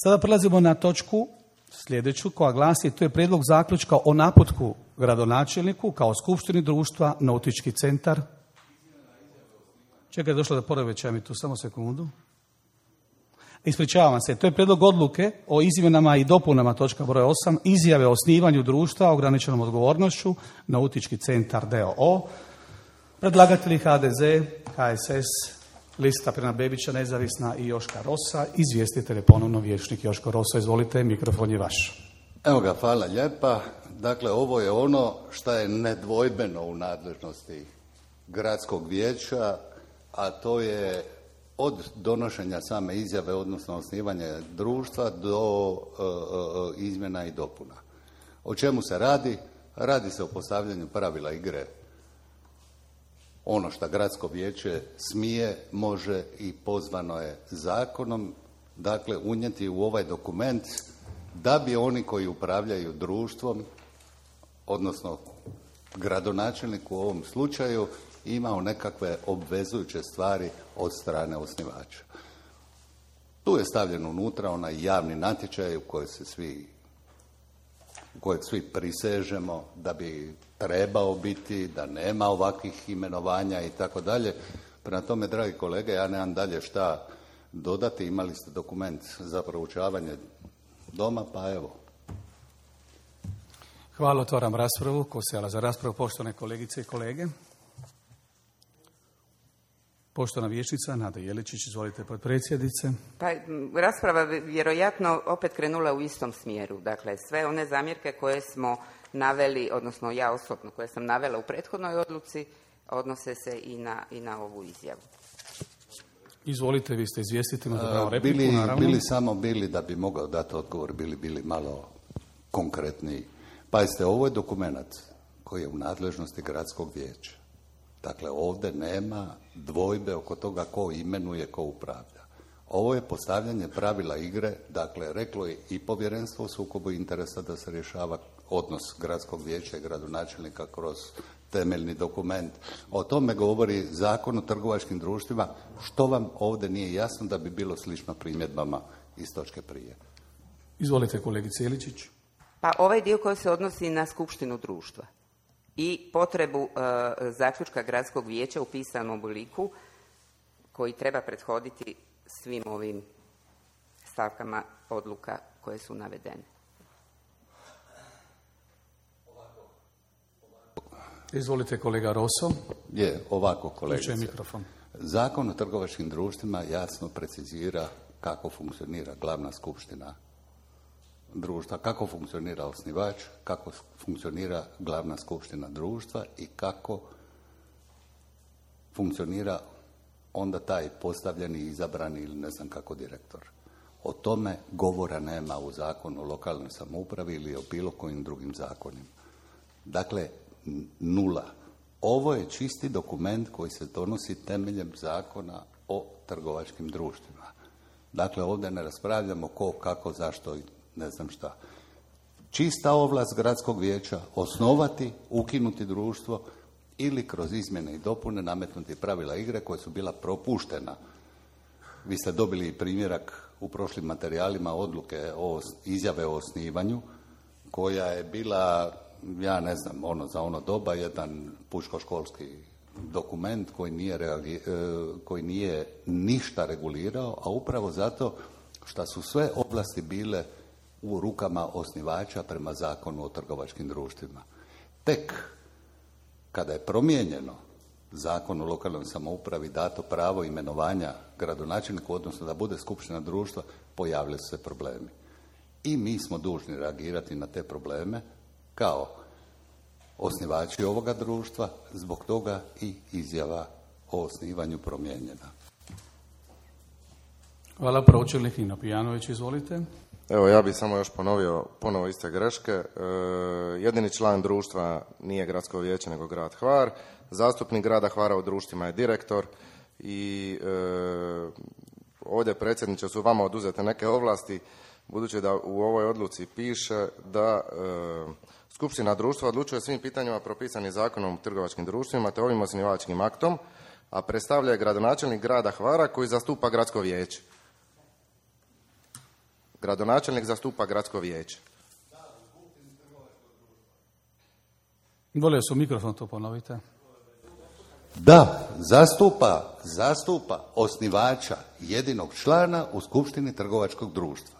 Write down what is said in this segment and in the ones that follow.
Sada prelazimo na točku sljedeću koja glasi, to je prijedlog zaključka o naputku gradonačelniku kao skupštini društva Nautički centar. Čekaj, došlo da poremećaj mi tu, samo sekundu. Ispričavam se, to je prijedlog odluke o izmjenama i dopunama, točka broj 8, izjave o osnivanju društva ograničenom odgovornošću Nautički centar d.o.o. Predlagatelji HDZ, HSS, Lista Frana Bebića, Nezavisna i Joška Rosa. Izvjestitelj je ponovno vijećnik Joško Rosa. Izvolite, mikrofon je vaš. Evo ga, hvala lijepa. Dakle, ovo je ono što je nedvojbeno u nadležnosti gradskog vijeća, a to je od donošenja same izjave, odnosno osnivanja društva, do izmjena i dopuna. O čemu se radi? Radi se o postavljanju pravila igre. Ono što gradsko vijeće smije, može i pozvano je zakonom, dakle, unijeti u ovaj dokument da bi oni koji upravljaju društvom, odnosno gradonačelnik u ovom slučaju, imao nekakve obvezujuće stvari od strane osnivača. Tu je stavljen unutra onaj javni natječaj u kojeg svi prisežemo da bi trebao biti, da nema ovakvih imenovanja i tako dalje. Prema tome, dragi kolege, ja nemam dalje šta dodati. Imali ste dokument za proučavanje doma, pa evo. Hvala, otvaram raspravu. Ko se javlja za raspravu, poštovane kolegice i kolege? Poštovana vijećnica Nada Jeličić, izvolite, potpredsjednice. Pa, rasprava vjerojatno opet krenula u istom smjeru. Dakle, sve one zamjerke koje smo naveli, odnosno ja osobno koje sam navela u prethodnoj odluci, odnose se i na ovu izjavu. Izvolite, vi ste izvjestitelj, imate pravo repliku, naravno. Bili da bi mogao dati odgovor, bili malo konkretniji. Pazite, ovo je dokument koji je u nadležnosti gradskog vijeća. Dakle, ovdje nema dvojbe oko toga ko imenuje, ko upravlja. Ovo je postavljanje pravila igre, dakle, reklo je i povjerenstvo u sukobu interesa da se rješava odnos gradskog vijeća i gradonačelnika kroz temeljni dokument. O tome govori Zakon o trgovačkim društvima. Što vam ovdje nije jasno da bi bilo slično primjedbama iz točke prije? Izvolite, kolegice Jeličić. Pa ovaj dio koji se odnosi na skupštinu društva i potrebu zaključka gradskog vijeća u pisanom obliku koji treba prethoditi svim ovim stavkama odluka koje su navedene. Izvolite, kolega Roso. Ovako, kolegice. Mikrofon. Zakon o trgovačkim društvima jasno precizira kako funkcionira glavna skupština društva, kako funkcionira osnivač, kako funkcionira glavna skupština društva i kako funkcionira onda taj postavljeni, izabrani ili ne znam kako direktor. O tome govora nema u Zakonu o lokalnoj samoupravi ili o bilo kojim drugim zakonima. Dakle, nula. Ovo je čisti dokument koji se donosi temeljem Zakona o trgovačkim društvima. Dakle, ovdje ne raspravljamo ko, kako, zašto i ne znam šta. Čista ovlast gradskog vijeća osnovati, ukinuti društvo ili kroz izmjene i dopune nametnuti pravila igre koja su bila propuštena. Vi ste dobili primjerak u prošlim materijalima odluke o izjave o osnivanju koja je bila, ja ne znam, za ono doba jedan pučkoškolski dokument koji nije ništa regulirao, a upravo zato što su sve oblasti bile u rukama osnivača prema Zakonu o trgovačkim društvima. Tek kada je promijenjeno Zakon o lokalnoj samoupravi, dato pravo imenovanja gradonačelniku, odnosno da bude skupština društva, pojavili su se problemi. I mi smo dužni reagirati na te probleme kao osnivači ovoga društva, zbog toga i izjava o osnivanju promijenjena. Hvala, pročelnik Nino Pijanović, izvolite. Evo, ja bih samo još ponovio ponovo iste greške. Jedini član društva nije gradsko vijeće, nego grad Hvar. Zastupnik grada Hvara u društvima je direktor i ovdje, predsjedniče, su vama oduzete neke ovlasti, budući da u ovoj odluci piše da skupština društva odlučuje o svim pitanjima propisanim Zakonom o trgovačkim društvima te ovim osnivačkim aktom, a predstavlja je gradonačelnik grada Hvara koji zastupa gradsko vijeće. Gradonačelnik zastupa gradsko vijeće. Volio su mikrofon, to ponovite. Da, zastupa osnivača, jedinog člana u skupštini trgovačkog društva.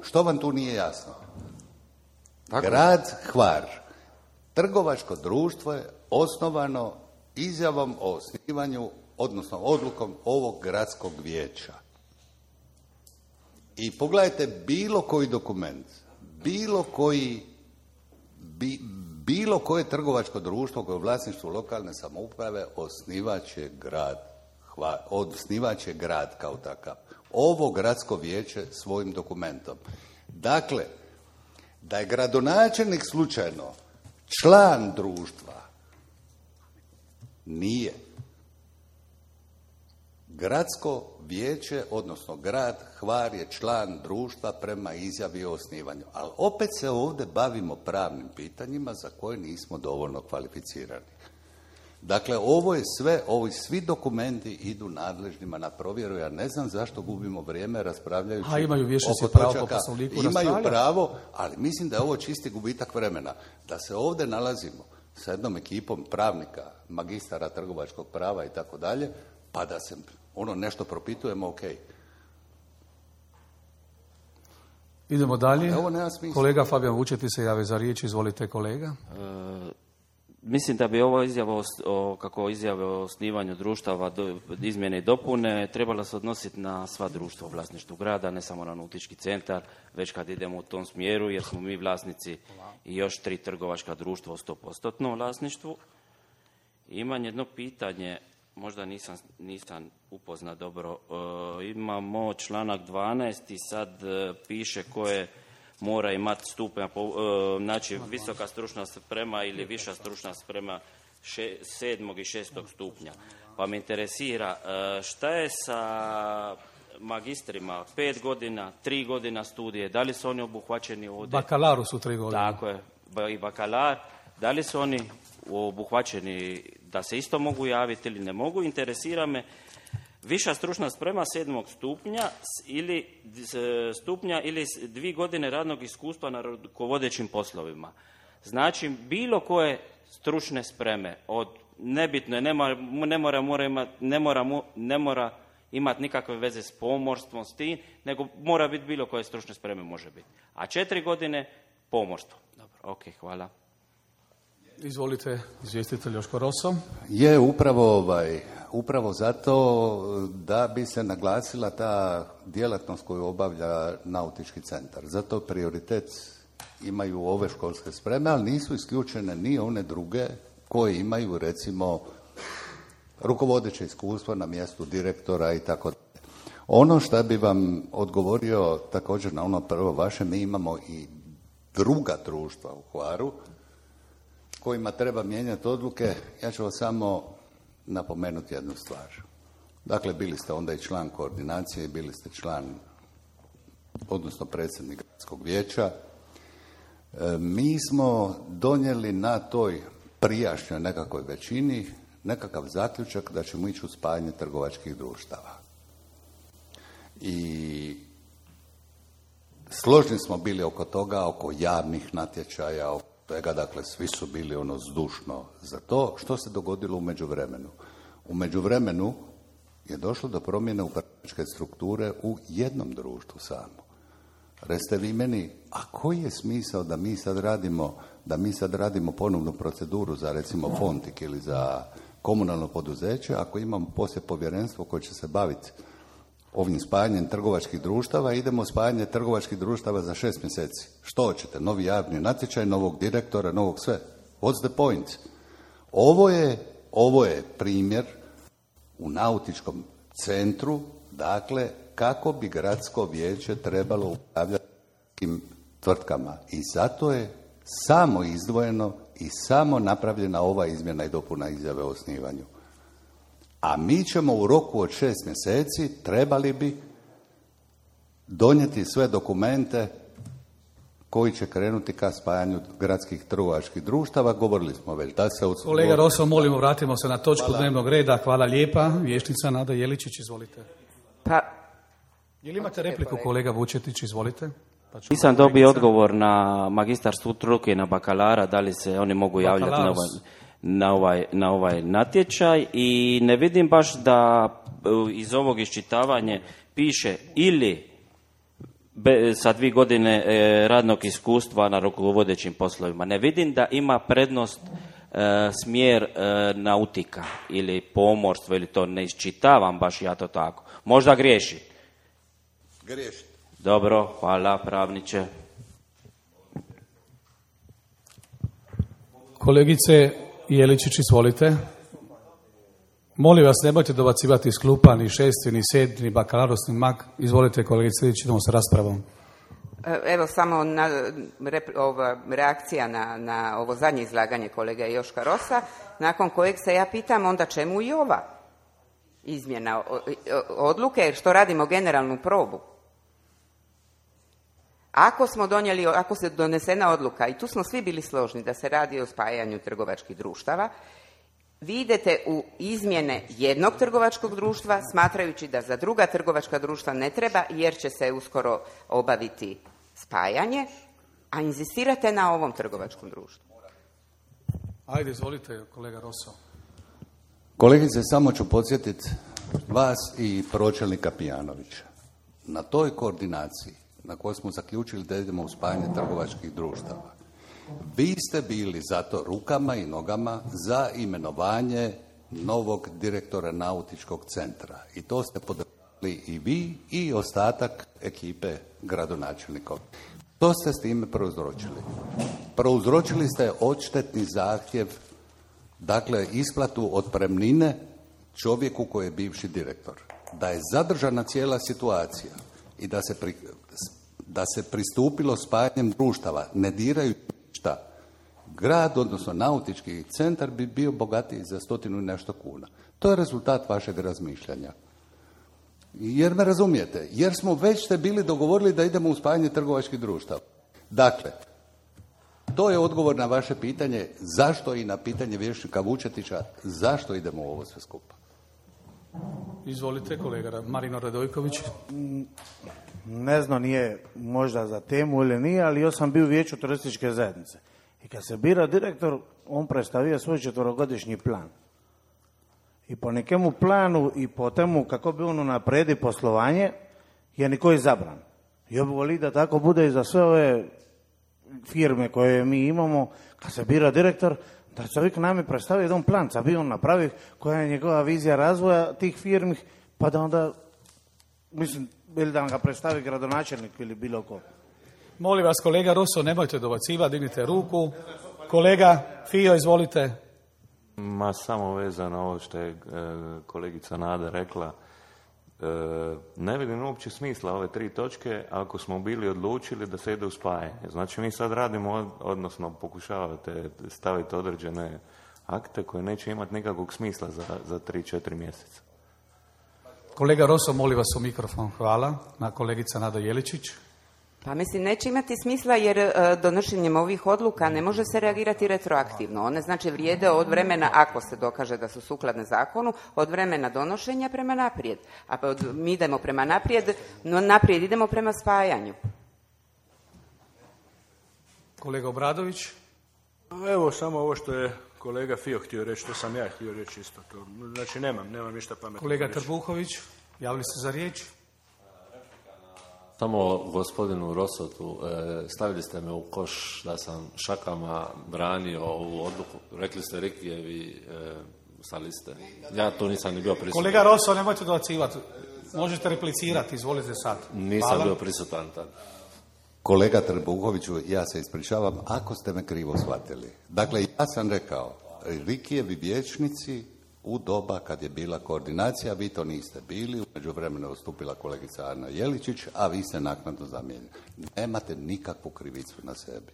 Što vam tu nije jasno? Tako. Grad Hvar, trgovačko društvo je osnovano izjavom o osnivanju, odnosno odlukom ovog gradskog vijeća. I pogledajte bilo koji dokument, bilo koje trgovačko društvo koje je u vlasništvu lokalne samouprave osnivač je grad kao takav. Ovo gradsko vijeće svojim dokumentom. Dakle, da je gradonačelnik slučajno član društva, nije. Gradsko vijeće, odnosno grad Hvar je član društva prema izjavi o osnivanju. Ali opet se ovdje bavimo pravnim pitanjima za koje nismo dovoljno kvalificirani. Dakle, ovi svi dokumenti idu nadležnima na provjeru. Ja ne znam zašto gubimo vrijeme raspravljajući imaju vijećnici oko pravo po točaka. Poslovniku Imaju raspravljati. pravo, ali mislim da je ovo čisti gubitak vremena. Da se ovdje nalazimo sa jednom ekipom pravnika, magistara trgovačkog prava i tako dalje, pa da se nešto propitujemo, ok. Idemo dalje. Ovo nema smisla. Kolega Fabijan Vučeti se jave za riječ, izvolite kolega. Mislim da bi ovo izjave o osnivanju društava, izmjene i dopune, trebalo se odnositi na sva društva u vlasništvu grada, ne samo na nautički centar, već kad idemo u tom smjeru, jer smo mi vlasnici i još 3 trgovačka društva u 100% vlasništvu. Imam jedno pitanje, možda nisam upoznat dobro. Imamo članak 12 i sad piše koje mora imati stupanj, znači visoka stručna sprema ili viša stručna sprema 7. i 6. stupnja. Pa me interesira šta je sa magistrima, 5 godina, 3 godina studije, da li su oni obuhvaćeni ovdje? Bakalaru su 3 godine. Tako je, i bakalar, da li su oni obuhvaćeni da se isto mogu javiti ili ne mogu? Interesira me viša stručna sprema 7. stupnja ili 2 godine radnog iskustva na rukovodećim poslovima. Znači, bilo koje stručne spreme, od nebitno je, ne mora imati nikakve veze s pomorstvom, s tim, nego mora biti bilo koje stručne spreme može biti. A 4 godine pomorstvo. Dobro, ok, hvala. Izvolite, izvjestitelj Joško Roso. Je upravo zato da bi se naglasila ta djelatnost koju obavlja nautički centar. Zato prioritet imaju ove školske spreme, ali nisu isključene ni one druge koje imaju, recimo, rukovodeće iskustvo na mjestu direktora i tako dalje. Ono što bi vam odgovorio također na ono prvo vaše, mi imamo i druga društva u Hvaru kojima treba mijenjati odluke. Ja ću vas samo napomenuti jednu stvar. Dakle, bili ste onda i član koordinacije, bili ste član, odnosno predsjednik gradskog vijeća. Mi smo donijeli na toj prijašnjoj nekakvoj većini nekakav zaključak da ćemo ići u spajanje trgovačkih društava. I složni smo bili oko toga, oko javnih natječaja, oko toga, dakle, svi su bili zdušno za to. Što se dogodilo u međuvremenu? U međuvremenu je došlo do promjene upravljačke strukture u jednom društvu samo. Recite vi meni, a koji je smisao da mi sad radimo ponovnu proceduru za, recimo, Fontik ili za komunalno poduzeće, ako imamo poslije povjerenstvo koje će se baviti ovim spajanjem trgovačkih društava, idemo spajanje trgovačkih društava za 6 mjeseci. Što hoćete? Novi javni natječaj, novog direktora, novog sve. What's the point? Ovo je primjer u nautičkom centru, dakle, kako bi gradsko vijeće trebalo upravljati tim tvrtkama. I zato je samo izdvojeno i samo napravljena ova izmjena i dopuna izjave o osnivanju. A mi ćemo u roku od 6 mjeseci trebali bi donijeti sve dokumente koji će krenuti ka spajanju gradskih trgovačkih društava. Govorili smo već da se... Kolega Roso, molimo, vratimo se na točku dnevnog reda. Hvala lijepa. Vijećnica Nada Jeličić, izvolite. Pa, Jel imate repliku, kolega Vučetić, izvolite. Pa Nisam dobio odgovor na magistar struke i na bakalara, da li se oni mogu javljati na ovaj natječaj, i ne vidim baš da iz ovog iščitavanja piše ili sa 2 godine radnog iskustva na rukovodećim poslovima. Ne vidim da ima prednost smjer nautika ili pomorstvo, ili to ne iščitavam baš ja to tako. Možda griješim. Griješite. Dobro, hvala pravniče. Kolegice Jeličić, izvolite. Molim vas, nemojte dobacivati iz klupa, ni 6. ni 7. ni bakalaros, ni mag. Izvolite, kolegice, idemo sa raspravom. Evo samo reakcija na ovo zadnje izlaganje kolega Joška Rosa, nakon kojeg se ja pitam onda čemu i ova izmjena odluke, jer što radimo generalnu probu. Ako se donesena odluka, i tu smo svi bili složni da se radi o spajanju trgovačkih društava, vi idete u izmjene jednog trgovačkog društva smatrajući da za druga trgovačka društva ne treba jer će se uskoro obaviti spajanje, a inzistirate na ovom trgovačkom društvu. Ajde, izvolite, kolega Rosso. Kolegice, samo ću podsjetiti vas i pročelnika Pijanovića. Na toj koordinaciji na kojoj smo zaključili da idemo u spajanje trgovačkih društava, vi ste bili zato rukama i nogama za imenovanje novog direktora nautičkog centra. I to ste podržali i vi i ostatak ekipe gradonačelnika. Što ste s time prouzročili? Prouzročili ste odštetni zahtjev, dakle isplatu otpremnine čovjeku koji je bivši direktor. Da je zadržana cijela situacija i da se pristupilo spajanjem društava, ne diraju šta, grad, odnosno nautički centar bi bio bogatiji za 100 i nešto kuna. To je rezultat vašeg razmišljanja. Jer me razumijete, jer smo već ste bili dogovorili da idemo u spajanje trgovačkih društava. Dakle, to je odgovor na vaše pitanje zašto i na pitanje vijećnika Vučetića, zašto idemo u ovo sve skupa. Izvolite, kolega Marino Radojković. Ne znam, nije možda za temu ili nije, ali ja sam bio u vijeću turističke zajednice. I kad se bira direktor, on predstavio svoj 4-godišnji plan. I po nekemu planu i po temu kako bi on napredi poslovanje, je niko izabran. Ja bi volio da tako bude i za sve ove firme koje mi imamo, kad se bira direktor, da čovjek nam predstavi jedan plan, da bi on napravi koja je njegova vizija razvoja tih firmi, pa da onda, mislim, ili da ga predstavi gradonačelnik ili bilo ko. Molim vas, kolega Rosso, nemojte dobacivati, dignite ruku. Kolega Fijo, izvolite. Ma samo vezano ovo što je kolegica Nada rekla. Ne vidim uopće smisla ove 3 točke ako smo bili odlučili da se ide u spajanje. Znači mi sad radimo, odnosno pokušavate staviti određene akte koje neće imati nikakvog smisla za 3-4 mjeseca. Kolega Rosso, molim vas u mikrofon. Hvala. Na kolegica Nada Jeličić. Pa mislim, neće imati smisla jer donošenjem ovih odluka ne može se reagirati retroaktivno. One znači vrijede od vremena, ako se dokaže da su sukladne zakonu, od vremena donošenja prema naprijed. A mi idemo prema naprijed, no naprijed idemo prema spajanju. Kolega Obradović. Evo samo ovo što je kolega Fijo htio reći, što sam ja htio reći isto. To. Znači nemam ništa pametno. Kolega Trbuhović, javili ste za riječ? Samo gospodinu Rosotu, stavili ste me u koš da sam šakama branio ovu odluku. Rekli ste Rikijevi sa liste. Ja tu nisam ni bio prisutan. Kolega Rosso, nemojte dobacivati. Možete replicirati, izvolite sad. Nisam bio prisutan tad. Kolega Trbuhoviću, ja se ispričavam ako ste me krivo shvatili. Dakle, ja sam rekao, Rikijevi vijećnici u doba kad je bila koordinacija, vi to niste bili, u međuvremenu je ustupila kolegica Ana Jeličić, a vi ste naknadno zamijenili. Nemate nikakvu krivicu na sebi.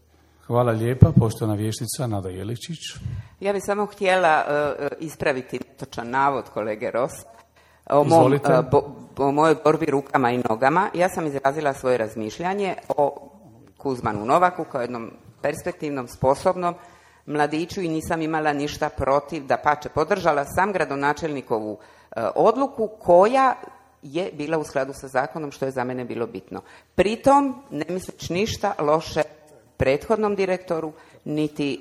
Hvala lijepa, poštovana vijećnica Nada Jeličić. Ja bih samo htjela ispraviti netočan navod kolege Ross o mojoj borbi rukama i nogama. Ja sam izrazila svoje razmišljanje o Kuzmanu Novaku kao jednom perspektivnom, sposobnom mladiću i nisam imala ništa protiv, dapače podržala sam gradonačelnikovu odluku koja je bila u skladu sa zakonom, što je za mene bilo bitno. Pritom ne misleći ništa loše prethodnom direktoru, niti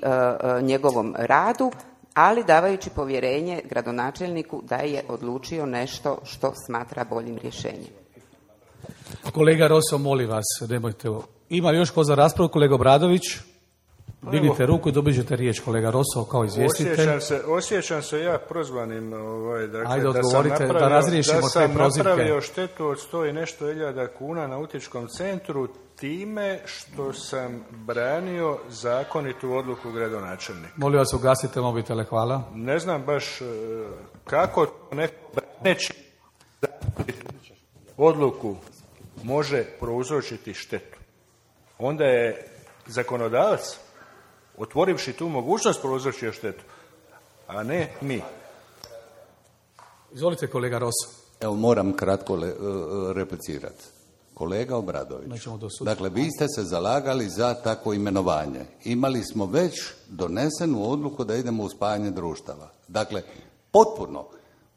njegovom radu, ali davajući povjerenje gradonačelniku da je odlučio nešto što smatra boljim rješenjem. Kolega Roso, molim vas, nemojte... Ima li još ko za raspravu? Kolega Obradović? Dignite ruku i dobit ćete riječ, kolega Roso, kao izvjestitelj. Osjećam se ja prozvanim, dakle, Ajde, odgovorite, da razriješimo te prozivke. Da sam napravio štetu od 100 i nešto hiljada kuna nautičkom centru time što sam branio zakonitu odluku gradonačelnika. Molim vas, ugasite mobitele, hvala. Ne znam baš kako neko braneći odluku može prouzročiti štetu. Onda je zakonodavac, otvorivši tu mogućnost, prouzročio štetu, a ne mi. Izvolite, kolega Roso. Evo, moram kratko replicirati. Kolega Obradović, dakle, vi ste se zalagali za takvo imenovanje. Imali smo već donesenu odluku da idemo u spajanje društava. Dakle,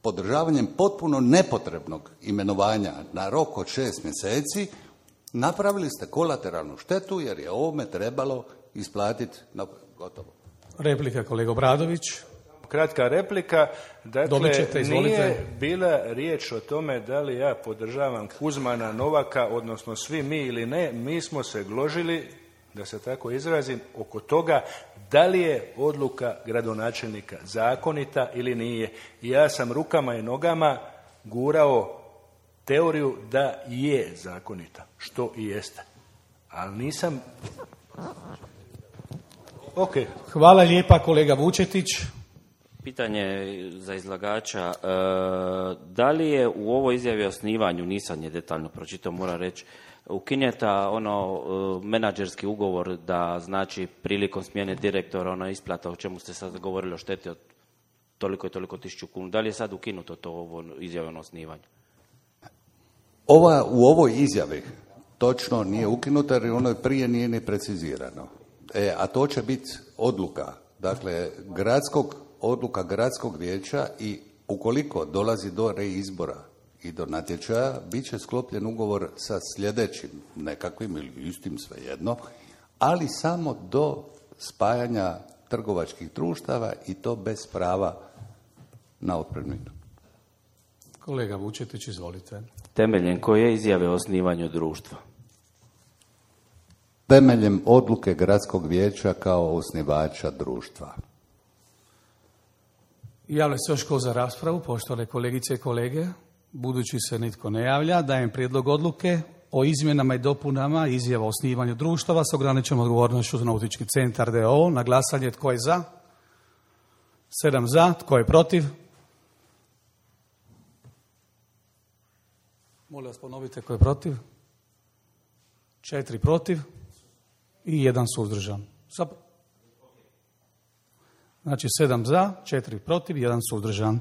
podržavanjem potpuno nepotrebnog imenovanja na rok od 6 mjeseci, napravili ste kolateralnu štetu jer je ovome trebalo isplatiti gotovo. Replika, kolega Obradović. Kratka replika. Dakle, ćete, nije bila riječ o tome da li ja podržavam Kuzmana, Novaka, odnosno svi mi ili ne. Mi smo se gložili, da se tako izrazim, oko toga da li je odluka gradonačelnika zakonita ili nije. I ja sam rukama i nogama gurao teoriju da je zakonita, što i jeste. Ali nisam... Ok. Hvala lijepa, kolega Vučetić. Pitanje za izlagača. Da li je u ovoj izjavi o osnivanju, nisam je detaljno pročitao, moram reći, ukinjeta menadžerski ugovor da znači prilikom smjene direktora ona isplata o čemu ste sad govorili o šteti od toliko i toliko 1000 kuna. Da li je sad ukinuto to ovo izjave o osnivanju? U ovoj izjavi točno nije ukinuto jer ono prije nije ni precizirano. A to će biti odluka, dakle, odluka gradskog vijeća i ukoliko dolazi do reizbora i do natječaja, bit će sklopljen ugovor sa sljedećim nekakvim ili istim, svejedno, ali samo do spajanja trgovačkih društava i to bez prava na otpremninu. Kolega Vučetić, izvolite. Temeljem koje izjave o osnivanju društva? Temeljem odluke gradskog vijeća kao osnivača društva. Javlja se još ko za raspravu, poštovane kolegice i kolege. Budući se nitko ne javlja, dajem prijedlog odluke o izmjenama i dopunama izjava o osnivanju društava s ograničenom odgovornošću za Nautički centar d.o.o. Na glasanje, tko je za? 7 za, tko je protiv? Molim vas, ponovite tko je protiv. 4 protiv i 1 suzdržan. Znači 7 za, 4 protiv, 1 suzdržan.